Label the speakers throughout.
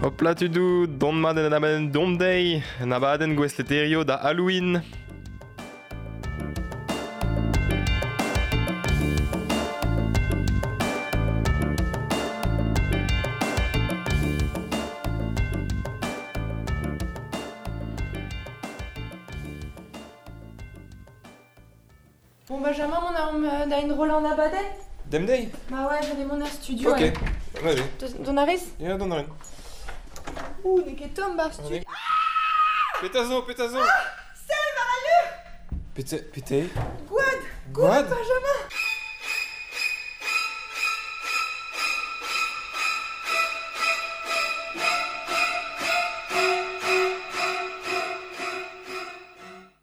Speaker 1: Hopla tudou, dont mat en abadenn dont deiz, en abadenn gouestleterio da Halloween.
Speaker 2: Bon Benjamin, mon arme da enrollañ an abadenn
Speaker 1: Dem deiz?
Speaker 2: Bah ouais, j'allais mont er studio.
Speaker 1: Ok, allez.
Speaker 2: Dont a rez?
Speaker 1: Ya, dont a rin.
Speaker 2: Ouh, n'eo ket tomm bar studio.
Speaker 1: Petra zo, petra zo?
Speaker 2: Ah Sell war al leur!
Speaker 1: Pete, pete?
Speaker 2: Gwad! Gwad, Benjamin!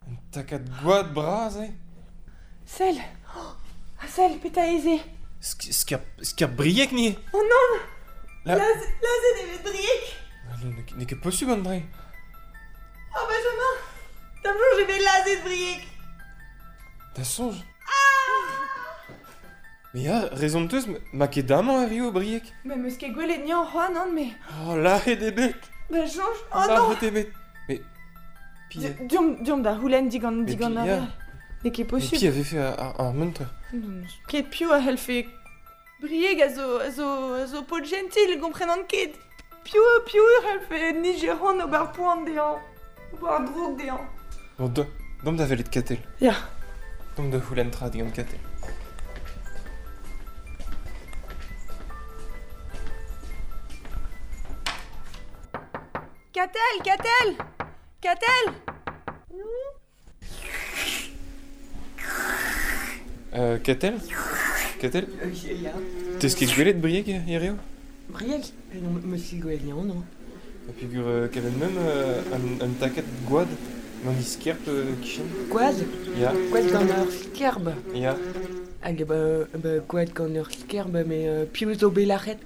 Speaker 1: Un takad gwad bras eo?
Speaker 2: Sell! Oh, ah sell, petra eo se?
Speaker 1: Sker Brieg ni?
Speaker 2: Oh non! Lazhet eo bet Brieg!
Speaker 1: N'eo ket posubl an dra.
Speaker 2: Oh Benjamin! Da'm soñj eo bet lazhet Brieg!
Speaker 1: Da soñj? Mais ya, rezon 'teus, ma ket amañ erru Brieg.
Speaker 2: Mais 'meus ket gwelet niañ c'hoazh, nann, mais...
Speaker 1: Oh, lazhet eo bet!
Speaker 2: Da soñj? Oh non!
Speaker 1: Lazhet eo bet! Mais...
Speaker 2: Deomp, deomp da c'houlenn digant, digant ar... N'eo ket posubl.
Speaker 1: Mais pi a vefe ar munter?
Speaker 2: Ket piv a c'hellfe... Brieg a zo, a zo, a zo paotr jentil, gomprenan ket. Piv, piv a c'hellfe nijeran ober poan dezhañ, ober droug dezhañ.
Speaker 1: Bon, deomp da welet Katell.
Speaker 2: Ya.
Speaker 1: Deomp da c'houlenn tra digant Katell.
Speaker 2: Katell, Katell Katell
Speaker 1: Katell Katell
Speaker 3: Ya.
Speaker 1: Teus ket gwelet Brieg hiziv?
Speaker 3: Brieg? Non, meus ket gwelet anezhañ, non.
Speaker 1: Ha peogwir kavet meump un takad gwad gant he skerp kichen.
Speaker 3: Gwad?
Speaker 1: Ya.
Speaker 3: Gwad gant ur skerb?
Speaker 1: Ya.
Speaker 3: Hag ba, gwad gant ur skerb, mais piv zo bet lâret?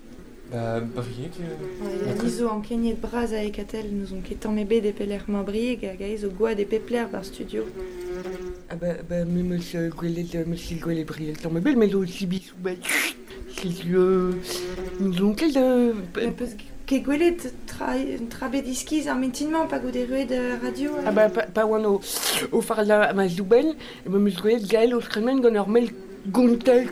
Speaker 1: Ba, Brieg...
Speaker 2: Ouais, ni zo ankeniet bras a Katell, n'ouzon ket tamm ebet e pelec'h emañ Brieg hag aes zo gwad e pep lec'h ba'r studio.
Speaker 3: Ah ba, ba me 'meus gwelet, meus ket gwelet Brieg tamm ebet, met zo sibisoù ba setu n'ouzon ket...
Speaker 2: Mais peus ket gwelet tra, tra bet iskis ar mintin-mañ pa goude erruet radio?
Speaker 3: Ah ba, pa, pa oan o, o fardañ ma soubenn, e meus gwelet Gaël o tremen gant ur mell Gontell,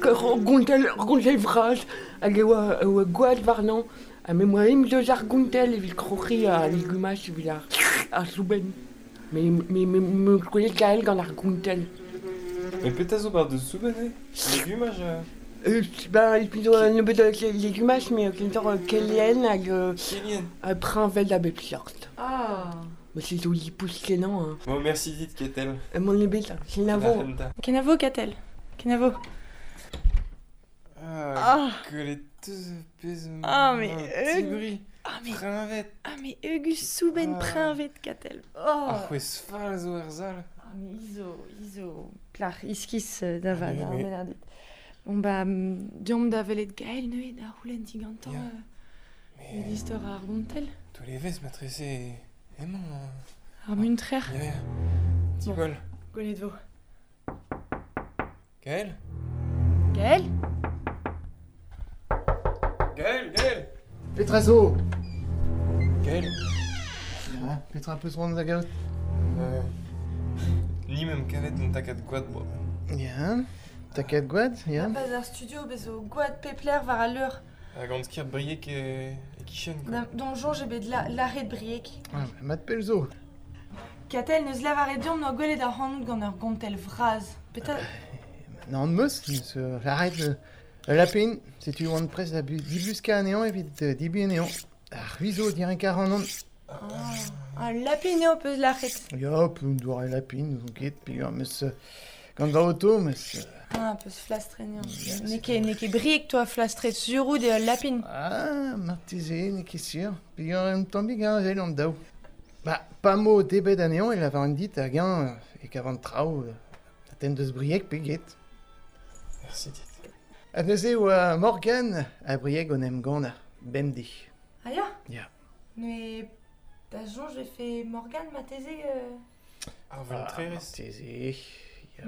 Speaker 3: gontell, ur gontell vras hag e oa, e oa gwad warnañ. Ha me 'moa ezhomm deus ar gontell evit kroc'hiñ al legumaj evit ar, ar soubenn. Me, me, me 'meus gwelet Gaël gant ar gontell.
Speaker 1: Mais petra zo bar deus soubenn eo? Legumaj
Speaker 3: Ben, et puis un nebeud legumaj, mais kentoc'h kelien hag
Speaker 1: Kelien.
Speaker 3: preñved a bep seurt.
Speaker 2: Ah.
Speaker 3: Mais c'est joli pouce kenañ. Hein.
Speaker 1: Bon, merci dit, Katell.
Speaker 3: Mon ebet, kenavo.
Speaker 2: Kenavo, Katell. Kenavo.
Speaker 1: Ah, gwelet teus pezh
Speaker 2: Ah, mais...
Speaker 1: Tibri.
Speaker 2: Ah, mais...
Speaker 1: Preñved.
Speaker 2: Ah, mais eugus soubenn
Speaker 1: ah.
Speaker 2: preñved, Katell. Oh.
Speaker 1: Ar c'hwezh fall zo er sal.
Speaker 2: Ah, mais izo, izo, plac'h iskis da vat, ar Bernadette. Bon, bah, deomp da welet Gaël neuze da c'houlenn digantañ
Speaker 1: Ya.
Speaker 2: euh, istor ar gontell.
Speaker 1: Tous les vez matrese emañ.
Speaker 2: Ar muntrer.
Speaker 1: Ya, ya. Diwall.
Speaker 2: Gwelet vo.
Speaker 1: Gaël?
Speaker 2: Gaël?
Speaker 1: Gaël, Gaël!
Speaker 4: Petra zo?
Speaker 1: Gaël?
Speaker 4: Ya, petra peus c'hoant da gaout?
Speaker 1: Ni meump kavet un takad gwad boa.
Speaker 4: Ya, takad gwad, ya.
Speaker 2: Pas ar studio, bez zo gwad pep lec'h war al leur.
Speaker 1: Hag an sker Brieg e, e kichen, quoi.
Speaker 2: D'am soñj eo bet la, lâret Brieg.
Speaker 4: Ah, mat pell zo.
Speaker 2: Katell neus lavaret deomp n'oa gwelet ac'hanout gant ur gontell vras. Petra...
Speaker 4: Nann meus, meus lâret ul lapin, setu oan prest da dibuskañ anezhañ evit dibuñ anezhañ. Ar c'hwi zo direnkañ ac'hanon.
Speaker 2: Ah, un lapin eo peus lâret.
Speaker 4: Ya, un doare lapin, n'ouzon ket, peogwir meus gant va auto, meus...
Speaker 2: Ah, peus flastret anezhañ. N'eo ket, n'eo ket Brieg toi flastret sur out eo ul lapin.
Speaker 4: Ah, marteze, n'eo ket sur. Peogwir un tammig heñvel an daou. Ba, pa 'mo debret anezhañ e lavaran dit hag-eñ e kavan traoù a tenn deus Brieg pe get.
Speaker 1: Merci dit.
Speaker 4: Ha neuze e oa Morgan ha Brieg o 'n em gannañ, bemdez.
Speaker 2: Ah ya?
Speaker 4: Ya.
Speaker 2: Mais da soñj e fe Morgan marteze
Speaker 1: Ar vantrerez.
Speaker 4: Marteze, ya.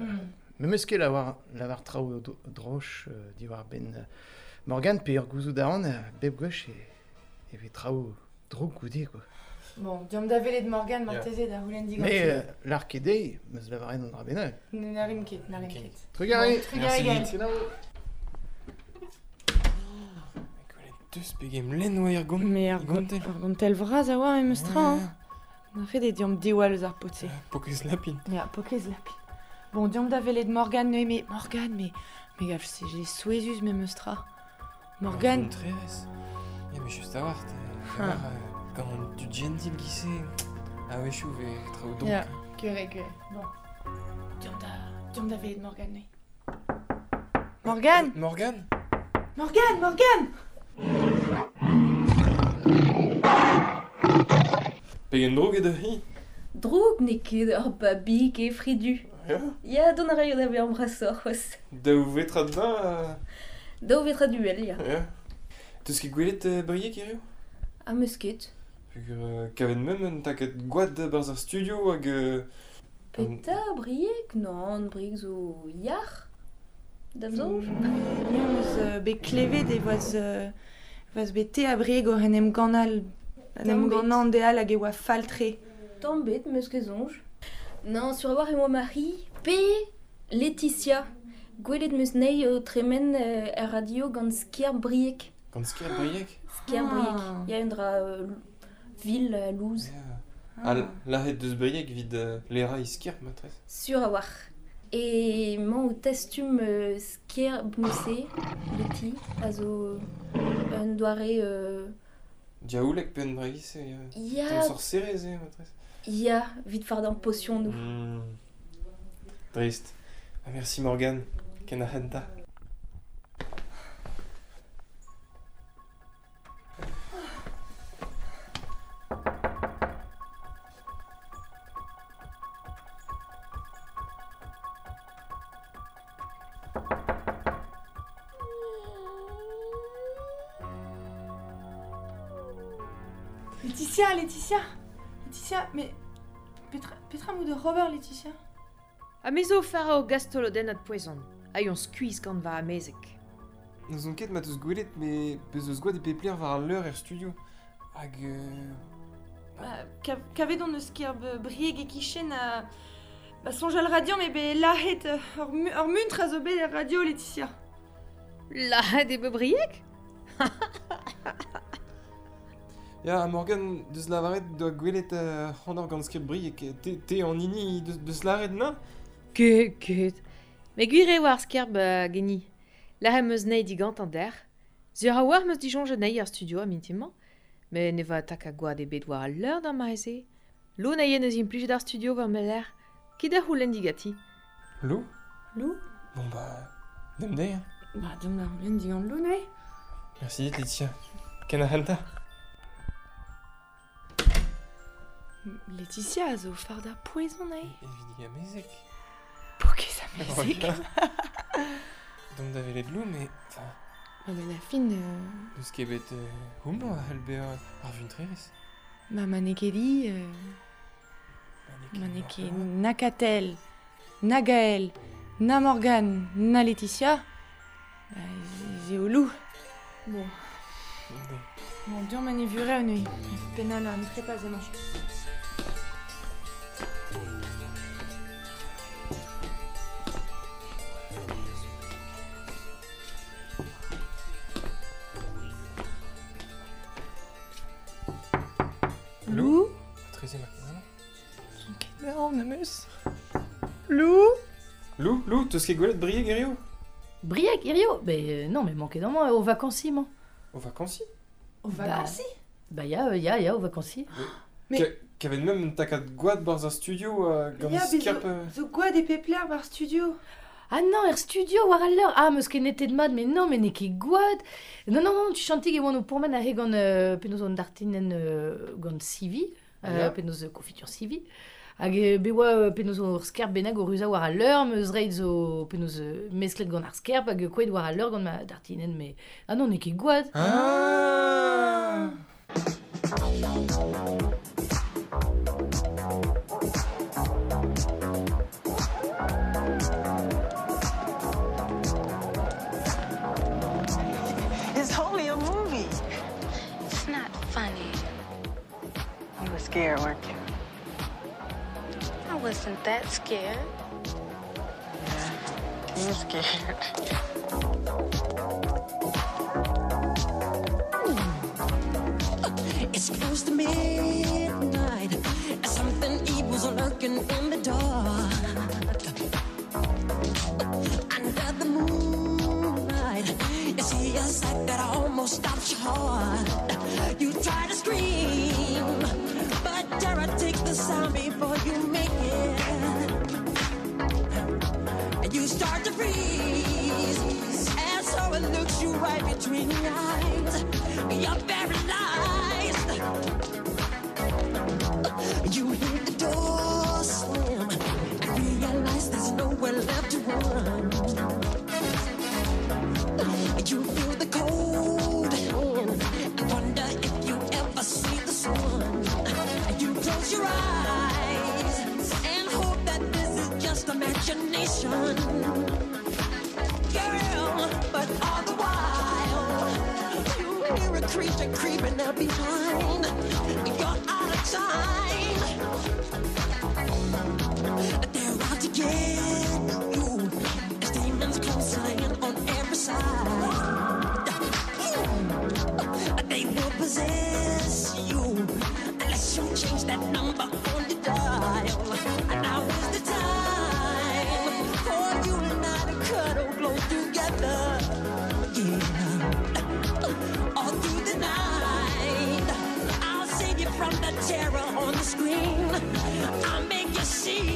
Speaker 4: Me 'meus ket lavar, lavar traoù droch diwar-benn Morgan pe ur gouzout a ran bep gwech e, e vez traoù Droug goude, quoi.
Speaker 2: Bon, diom da velet Morgan marteze da c'houlenn diganti.
Speaker 4: Mais l'ar ket dezhi, meus lavaret an dra bennak.
Speaker 2: N'arim ket, n'arim ket.
Speaker 4: Trugarez.
Speaker 2: Bon, trugarez, Gaël.
Speaker 1: Deus pegem lenn oa er gont.
Speaker 2: Mais ar
Speaker 1: Gontel.
Speaker 2: Ar gontel vras a oa memes tra, hein. Na ret eo diomp diwall eus ar pot-se.
Speaker 1: Pokez lapin.
Speaker 2: Ya, pokez lapin. Bon, diomp da velet Morgan neuze, mais Morgan, mais... Mais gaf, c'est j'ai souezus memes tra. Morgan,
Speaker 1: Trerez. Ya, mais juste a war,
Speaker 2: Ah.
Speaker 1: Gant du gentil qui sait. Ah ouais, chou, ve traoù donc.
Speaker 2: Ya. Curé, curé. Bon. Diomp da velet Morgan neuze. Morgan
Speaker 1: Morgan.
Speaker 2: Morgan, Morgan.
Speaker 1: Pegen droug eo da hi.
Speaker 5: Droug n'eo ket ur babig e fridu.
Speaker 1: Ya.
Speaker 5: Ya, don a raio da vezañ brasoc'h c'hoazh.
Speaker 1: Daou vetra da.
Speaker 5: Daou vetra duel, ya.
Speaker 1: Ya. Teus ket gwelet Brieg hiziv?
Speaker 5: Ha meus ket.
Speaker 1: Peogwir kavet mem un taket gwad barzh ar studio hag...
Speaker 5: Peta, Brieg? Non, Brieg zo yar. Da'm soñj.
Speaker 2: Ni hon eus bet klevet e voaz, voaz bet te a Brieg oc'h en em ganal. En em
Speaker 5: Tamm bet.
Speaker 2: ganan deal hag e oa fall-tre.
Speaker 5: Tamm bet, meus ket soñj. Non, sur a war e oa Marie, pe Laetitia. Gwelet meus nei o tremen er radio gant sker Brieg.
Speaker 1: Gant sker Brieg?
Speaker 5: Sker Brieg. Ya un dra vil louz.
Speaker 1: Ya. Ah. Lahet deus Brieg vid lera isker, matrez.
Speaker 5: Sur a war. E mañ o testum sker bnose, leti, a zo un doare...
Speaker 1: Diaoulek pe un draigis e...
Speaker 5: Ya...
Speaker 1: Tamm sorcerez eo, matrez.
Speaker 5: Ya, vid fardañ potion nou.
Speaker 1: Trist. Ah, merci Morgan. Ken ar c'hentañ.
Speaker 2: Laetitia, Laetitia. Laetitia, mais... Petra mou de Robert, Laetitia.
Speaker 6: Ha me zo fara o gastolodenn ad poezon. Hag on skuizh gant va amezek.
Speaker 1: N'eus on ket ma teus gwelet, mais peus eus gwad e pepler war al leur er studio. Hag...
Speaker 2: Ba, kavet on eus ker Brieg e kichen a... Ba soñjal radio, mais be lahet ur muntr a zo bet er radio, Laetitia.
Speaker 6: Lahet eo bet Brieg?
Speaker 1: Ya, Morgan, deus lavaret doa gwelet c'hant gant skrib Brieg, te an hini deus lavaret, na?
Speaker 6: Ket, ket. Me gwir eo ar skerb geni. Lahet meus nei digant an der. Sur a war meus disoñjet nei ar studio a mintimañ. Me ne va tak a gwad ebet war al leur d'ar mare-se. Lo na yen eus implijet ar studio war me l'air. Ket a c'houlenn digati.
Speaker 1: Lo?
Speaker 2: Lo?
Speaker 1: Bon ba, dem dezhi, hein.
Speaker 2: Ba, dem da c'houlenn digant Lo, neuze.
Speaker 1: Merci dit, Laetitia. Ken ar c'hentañ.
Speaker 2: Laetitia a zo farda poezon ae.
Speaker 1: Evit amezek.
Speaker 2: Pokez amezek.
Speaker 1: Dom da velet Lou, mais... Enfin...
Speaker 2: Ba ben a fin...
Speaker 1: Deus ket bet homañ a c'hell bezañ ar vuntrerez.
Speaker 2: Ba ma n'eo ket hi... Ma n'eo ket na Katell, na Gaël, na Morgan, na Laetitia... Ba ez eo Lou. Bon. Bon, diom ma ne vure neuze. Penal an trepaz emañ. Lou?
Speaker 1: Treze ma.
Speaker 2: Non, meus. Lou?
Speaker 1: Lou, Lou, teus ket gwelet Brieg hiziv?
Speaker 7: Brieg hiziv? Ben non, mais manquet d'an mañ, o vacances, mañ.
Speaker 1: O vacances?
Speaker 2: O vacances?
Speaker 7: Ba ya, ya, ya, o vacances.
Speaker 1: Mais... Kavet mem un takad gwad barzh ar studio gant skerp...
Speaker 2: Zo gwad e pepler bar studio.
Speaker 7: Ah non, er studio war al leur. Ah, meus ket netet mat, mais non, mais n'eo ket gwad. Non, non, non, tu chantig e oan o pourmen a he gant penaos an dartinen gant sivi, penaos confiture sivi. Hag be oa penaos ur skerp bennak o ruza war al leur, meus reit zo penaos mesklet gant ar skerp hag kouet war al leur gant ma dartinen, mais... Ah non, n'eo ket gwad.
Speaker 1: Ah.
Speaker 8: It's only a movie.
Speaker 9: It's not funny.
Speaker 8: scared, weren't you?
Speaker 9: I wasn't that scared.
Speaker 8: Yeah, you were scared.
Speaker 10: It's close to midnight. Something evil's lurking in the dark. Under the moonlight, you see a sight that almost stops your heart. You try to scream, but terror takes the sound before you make it. And you start to freeze, and so it looks you right between the eyes. You're paralyzed. You hear the door slam and realize there's nowhere left to run. You feel the cold hand and wonder if you ever see the sun. You close your eyes and hope that this is just imagination. Girl, but all the while you hear a creature creeping up behind. You're out of time. They're out to get you. There's demons closing in on every side. They will possess you unless you change that number on your dial. And now is the time for you and I to cuddle close together. Yeah. All through the night, I'll save you from the terror on the screen. I'll make you see.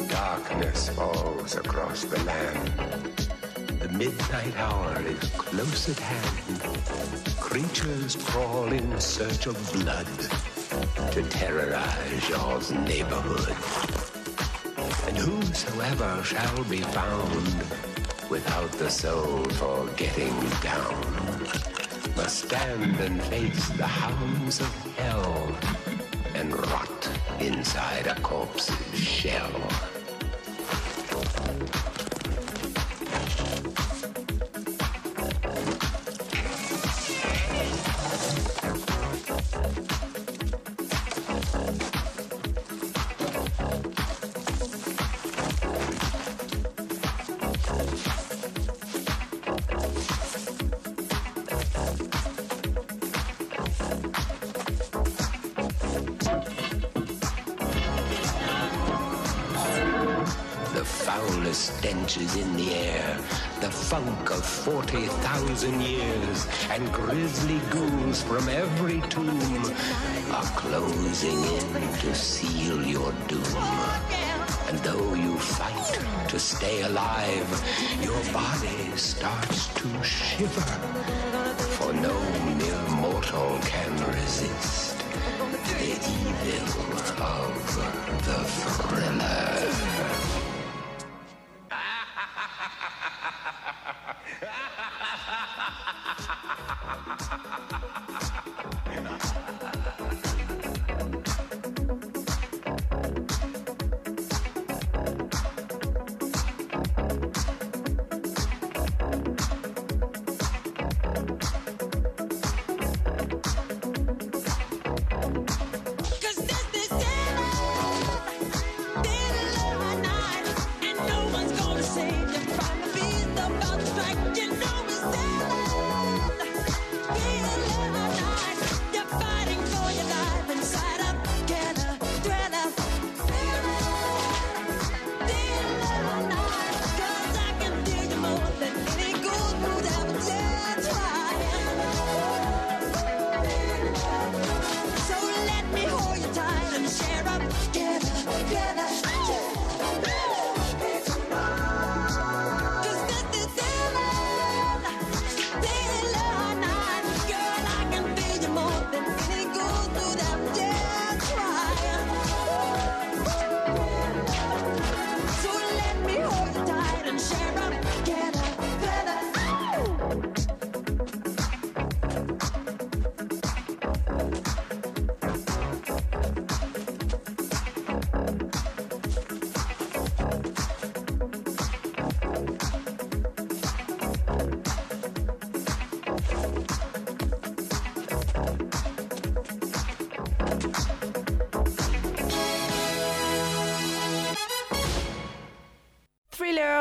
Speaker 11: Darkness falls across the land. The midnight hour is close at hand. Creatures crawl in search of blood to terrorize your neighborhood. And whosoever shall be found without the soul for getting down must stand and face the hounds of hell and rot inside a corpse's shell. The foulest stench is in the air, the funk of 40,000 years, and grisly ghouls from every tomb are closing in to seal your doom. And though you fight to stay alive, your body starts to shiver, for no mere mortal can resist the evil of the thriller.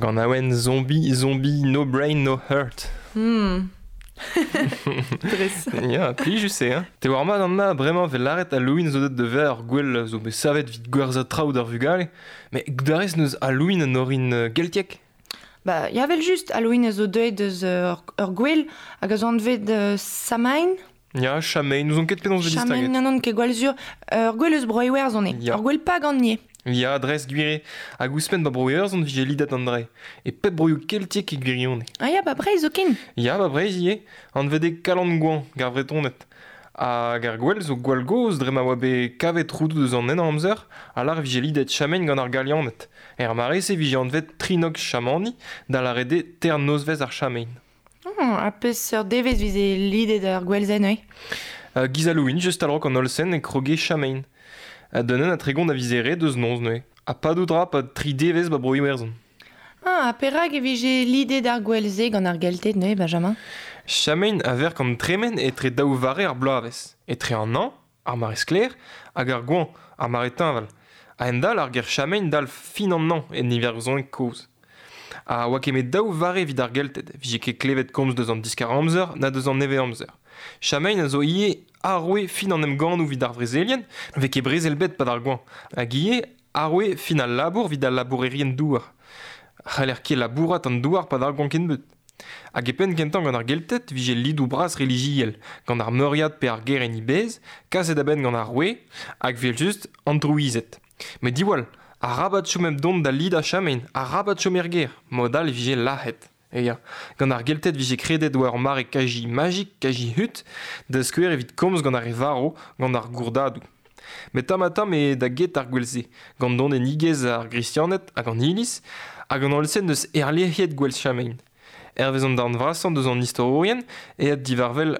Speaker 1: ganaouenn Zombie, Zombie, No Brain, No Heart.
Speaker 2: Dres.
Speaker 1: Ya, plijus eo, hein. Te oar mat Anna, bremañ 'vez lâret Halloween zo deuet da vezañ ur gwel zo bet savet evit gwerzhañ traoù d'ar vugale. Met goudarez n'eus Halloween un orin geltiek?
Speaker 2: Ba, ya, evel-just, Halloween a zo deuet eus ur gwel hag a zo anvet Samhain.
Speaker 1: Ya, Samhain, n'ouzon ket penaos 'vez
Speaker 2: Samhain,
Speaker 1: distaget.
Speaker 2: non, non, ket gwall sur. Ur gwel eus Bro-Iwerzhon eo.
Speaker 1: Ya.
Speaker 2: Ur gwel pagan ivez.
Speaker 1: Ya, dres gwir eo. Hag ouzhpenn ba Bro-Iwerzhon 'vije lidet an dra. E pep broioù keltiek e gwirionez.
Speaker 2: Ah ya, ba Breizh zoken.
Speaker 1: Ya, ba Breizh ivez. Anvet eo Kalan-Goañv, gant ar Vretoned. Hag ar gwel zo gwall gozh dre ma oa bet kavet roudoù deus an Henamzer a lâr 'vije lidet Chamen gant ar Galianed. Er mare-se 'vije anvet Trinok Chamani, da lâret eo teir nozvezh ar Chamen.
Speaker 2: Ha peseurt devezh 'vize lidet ar gwel-se neuze?
Speaker 1: Giz Halloween, just a-raok an holl-sen e kroge Chamen. D'un ha 30 a vize ret deus noz neuze. Ha padout 'ra 'pad tri devezh 'ba Bro-Iwerzhon.
Speaker 2: Ah, ha perak e vije lidet ar gwel-se gant ar Gelted neuze, Benjamin?
Speaker 1: Chamen a verk an tremen etre daou vare ar bloavezh. Etre an hañv, ar mare sklaer, hag ar goañv, ar mare teñval. A-hend-all ar ger Chamen dalv fin an hañv en iwerzhoneg kozh. Ha oa ket met daou vare evit ar Gelted, 'vije ket klevet komz deus an diskar-amzer na deus an nevez-amzer. Chamen a zo ivez arouez fin an emgannoù evit ar vrezelien, 'vez ket brezel bet 'pad ar goañv. Hag ivez arouez fin al labour evit al labourerien-douar. C'haller ket labourat an douar 'pad ar goañv kennebeut. Hag e penn kentañ gant ar Gelted 'vije lidoù bras relijiel, gant ar meuriad pe ar gêr en he bezh, kaset a-benn gant ar roue, hag evel-just an drouized. Met diwall, arabat chom hep dont da lidañ Chamen, arabat chom er gêr, mod all e vije lazhet. E ya, gant ar Gelted 'vije kredet oa ur mare kaji majik, kaji hud, da skouer evit komz gant ar re varv, gant ar gourdadoù. Met tamm-ha-tamm eo da get ar gwel-se, gant donedigezh ar Gristianed hag an Iliz, hag an holl-se n'eus erlec'hiet gwel Chamen. Hervez an darn vrasañ deus an istorourien, aet diwar-wel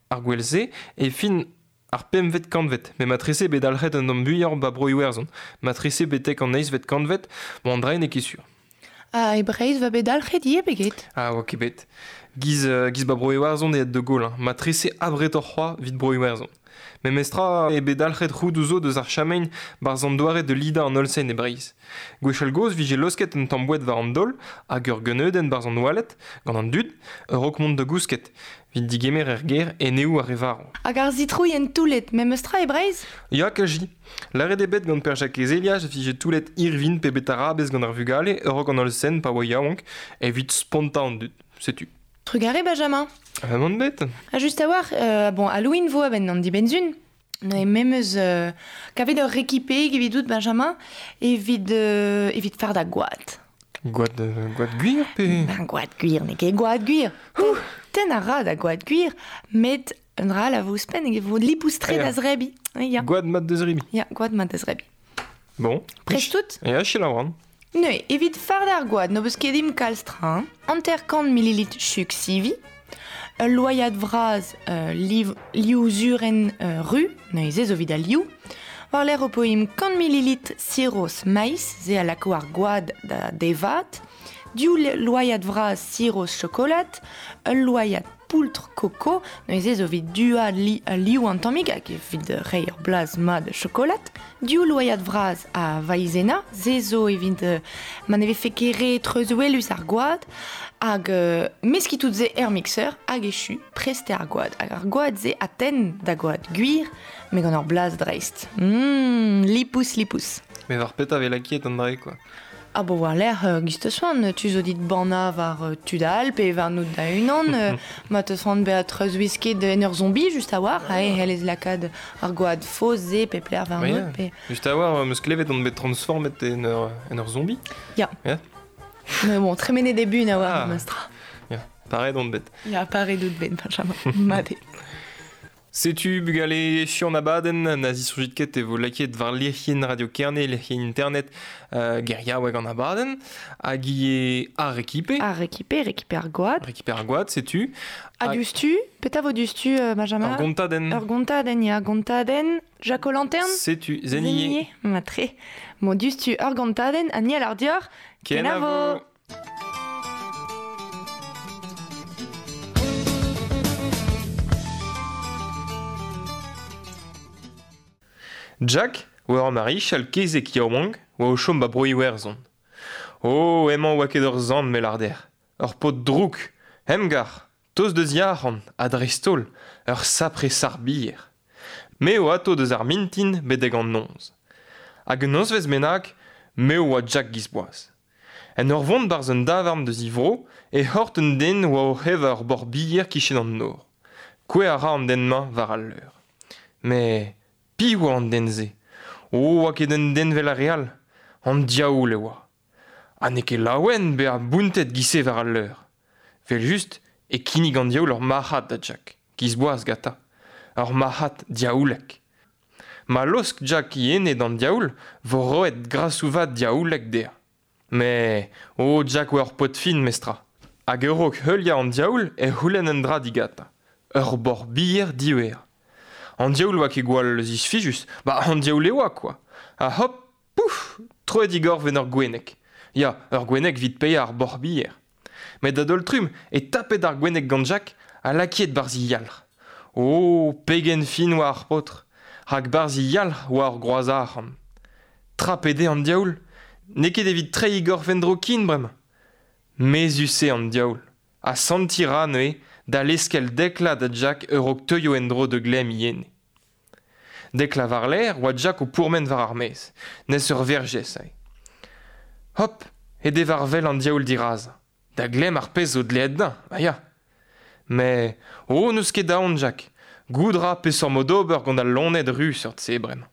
Speaker 1: ar gwel-se e fin ar pempvet kantved, met matrese bet dalc'het un tamm muioc'h 'ba Bro-Iwerzhon, matrese betek an eizhvet kantved, bon an dra n'eo ket sur.
Speaker 2: Ah, e Breizh 'va bet dalc'het ivez pe get?
Speaker 1: Ah, oa ket bet. Giz, giz 'ba Bro-Iwerzhon eo aet de Gaulle, hein. Matrese abretoc'h c'hoazh 'vit Bro-Iwerzhon. Memestra eo bet dalc'het roudoù zo deus ar Chamen 'barzh an doare da lidañ an holl-sen e Breizh. Gwechall-gozh 'vije laosket un tamm boued war an daol hag ur geuneudenn 'barzh an oaled, gant an dud, a-raok mont da gousket, 'vit digemer er gêr eneoù ar re varv.
Speaker 2: Hag ar sitrouilhenn toullet, memestra e Breizh?
Speaker 1: Ya, kazi. Lâret eo bet gant Per-Jakez Elias e vije toullet irvin pe betarabez gant ar vugale a-raok an holl-sen pa oa yaouank, evit spontañ an dud. Setu.
Speaker 2: Trugarez, Benjamin.
Speaker 1: Emaon bet.
Speaker 2: Ha just a-walc'h, bon, Halloween 'vo a-benn an dibenn-sun. Neuze memes kavet ur rekipe evidout, Benjamin, evit, evit fardañ gwad.
Speaker 1: Gwad, gwad gwir pe...
Speaker 2: Ben, gwad gwir, n'eo ket gwad gwir. Tenn a ra da gwad gwir, met un dra all a vo ouzhpenn, e vo lipous-tre da zrebiñ. Ya.
Speaker 1: Gwad mat da zrebiñ.
Speaker 2: Ya, gwad mat da zrebiñ.
Speaker 1: Bon.
Speaker 2: Prest out?
Speaker 1: Ya, selaou an.
Speaker 2: Neuze, evit fardañ ar gwad, n'ho peus ket dimp kalz tra, hein. 50 millilitr chug sivi, ul loaiad vras liv, liv zurenn ru, neuze zo evit al liv. War-lerc'h ho po imp 100 millilitr siros maiz, se a lako ar gwad da devat, div loaiad vras siros chokolad, ul loaiad poultr koko, neuze zo evit duañ liv an tammig hag evit reiñ ur blaz mat chokolad. Div loaiad vras a vaizena, se zo evit ma ne vefe ket re treuzwelus ar gwad, hag meskiñ tout se er mixeur hag echu, prest eo ar gwad. Hag ar gwad-se a tenn da gwad gwir, met gant ur blaz dreist. Lipous, lipous.
Speaker 1: Mais war petra 'vez lakaet an dra-se quoi.
Speaker 2: Ah bon, war-lerc'h, giz 'teus c'hoant, tu zo dit bannañ war tud all pe warnout da-unan. Ma 'teus c'hoant bezañ treuzwisket en ur zombi just a-walc'h, e c'hellez lakaat ar gwad faos-se pep lec'h warnout. Pe...
Speaker 1: Just a-walc'h, 'm eus klevet on bet transformet en ur zombi.
Speaker 2: Ya.
Speaker 1: Ya.
Speaker 2: Mais bon, tremenet eo buan a-walc'h, memes tra.
Speaker 1: Ya, pareet on bet.
Speaker 2: Ya, pareet out bet, Benjamin. Mat eo.
Speaker 1: Setu bugale echu an abadenn, na zisoñjit ket e vo lakaet war lec'hienn Radio Kerne, lec'hienn internet geriaoueg an abadenn, hag ivez ar rekipe.
Speaker 2: Ar rekipe, rekipe ar gwad.
Speaker 1: Rekipe ar gwad, setu.
Speaker 2: Ha diouzhtu, petra vo diouzhtu, Benjamin?
Speaker 1: Ur gontadenn.
Speaker 2: Ur gontadenn, ya, gontadenn. Jacques Lantern?
Speaker 1: Setu, Zenier.
Speaker 2: Matre. Bon, diouzhtu, ur gontadenn, ha ni a lar deoc'h,
Speaker 1: Kenavo! Jack oa ur marichal kezeg yaouank oa o chom 'ba Bro-Iwerzhon. Oh, emañ oa ket ur sant me lâr dec'h. Ur paotr drouk, emgar, tost deus yac'han, ha dreist-holl, ur sapre sac'h-bier. Me o ato deus ar mintin betek an noz. Hag un nozvezh bennak, me oa Jack Gizboaz. En ur vont barzh un davarn deus e vro e c'hort un den oa oc'h evañ ur boc'h-bier kichen an nor. Kouezhañ a ra an den-mañ war al leur. Met piv oa an den-se? O, oa ket un den 'vel ar re all. An diaoul e oa. Ha n'eo ket laouen bezañ bountet 'giz-se war al leur. Evel-just e kinnig an diaoul ur marc'had da Jack, 'giz boaz gantañ. Ur marc'had diaoulek. Ma laosk Jack e ene d'an diaoul 'vo roet grasoù vat diaoulek dezhañ. Mais oh Jack oa ur paotr fin mestra. Hag a-raok heuliañ an diaoul e c'houlenn un dra digantañ. Ur boc'h-bier diwezhañ. An diaoul oa ket gwall zisfijus, ba an diaoul e oa kwa. Ha hop, pouf, troet e gorf en ur gwenneg. Ya, ur gwenneg 'vit paeañ ar boc'h-bier. Met a-daol-trumm e tapet ar gwenneg gant Jack ha lakaet 'barzh e yalc'h. Oh, pegen fin oa ar paotr! Rak 'barzh e yalc'h oa ur groaz arc'hant. Trapet eo an diaoul, n'eo ket evit treiñ e gorf en-dro ken bremañ. Mezhus eo an diaoul, ha sentiñ 'ra neuze da leskel Dekla da Jack a-raok teuio en-dro da glemm e ene. Dekla war-lerc'h oa Jack o pourmen war ar maez, nes ur verjez aze. Hop, he devar wel an diaoul dirazañ. Da glemm ar pezh zo dleet dezhañ, ma ya. Mais oh n'eus ket aon Jack, goût 'ra peseurt mod ober gant al loened ru seurt-se bremañ.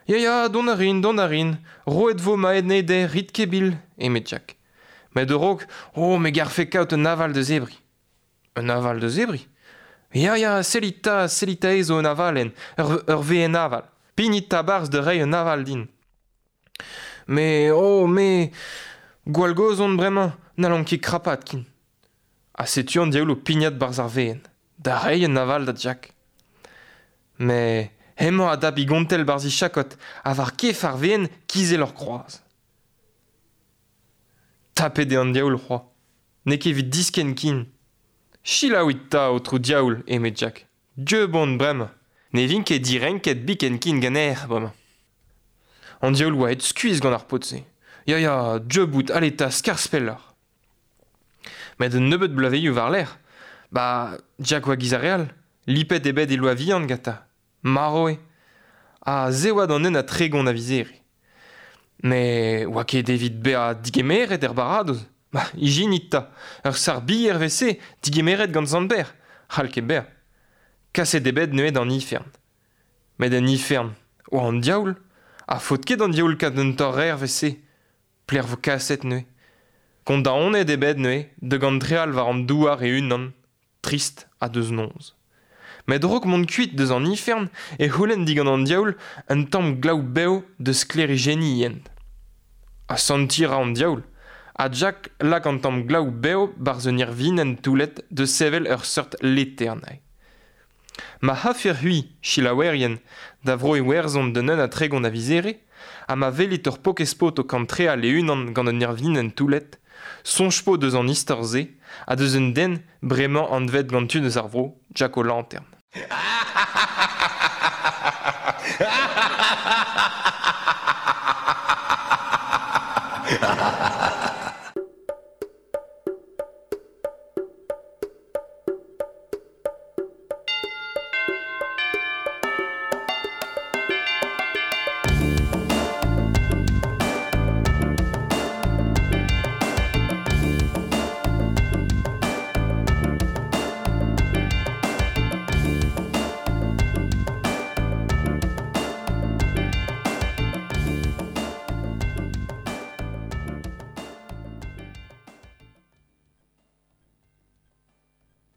Speaker 1: Ya ya, dont a rin, dont a rin, roet 'vo ma ene dezhe, rit ket bil, eme Jack. Met a-raok, oh me garfe kaout un aval da zebriñ. Un aval da zebriñ? Ya ya, sellit 'ta, sellit 'ta zo un avalenn, ur, ur we'enn aval. Pignit 'ta 'barzh da reiñ un aval din. Mais oh me, gwall gozh on bremañ, n'hallan ket krapat ken. Ha setu an diaoul o pignat 'barzh ar we'enn, da reiñ un aval da Jack. Met hemañ a dap e gontell 'barzh e chakod ha war kef ar we'enn kizel ur groaz. Tapet eo an diaoul c'hoazh. N'eo ket evit diskenn ken. Selaouit 'ta, aotrou diaoul, eme Jack. Dieub on bremañ. Ne vin ket direnket biken ken ganeoc'h bremañ. An diaoul oa aet skuizh gant ar paotr-se. Ya, ya, dieub out, ale 'ta, skarzh pelloc'h. Met un nebeud bloavezhioù war-lerc'h, ba Jack oa giz ar re all, lipet eo bet e loa vihan gantañ. Marv eo. Ha se oa d'an un ha 30 a viz Here. Met oa ket evit bezañ digemeret er baradoz. Ma, ijinit 'ta, ur sac'h-bier 'vez-se digemeret gant Sant Pêr, c'hall ket bezañ. Kaset eo bet neuze d'an ifern. Met en ifern oa an diaoul, ha faot ket d'an diaoul kaout un torr-revr 'vez-se. Pelec'h 'vo kaset neuze? Kondaonet eo bet neuze da gantreal war an douar e-unan, trist ha deus noz. Met a-raok mont kuit deus an ifern e c'houlenn digant an diaoul un tamm glav bev da sklêrijenniñ e hent. Asantiñ a ra an diaoul, ha Jack lak an tamm glav bev 'barzh un irvinenn toullet da sevel ur seurt letern. Ma c'hafec'h-c'hwi, selaouerien, da Vro-Iwerzhon d'un un ha 30 a viz Here, ha ma welit ur pokez-paotr o kantreal e-unan gant un irvinenn toullet, soñj 'po deus an istor-se ha deus un den bremañ anvet gant tud eus ar vro Jack O'Lantern.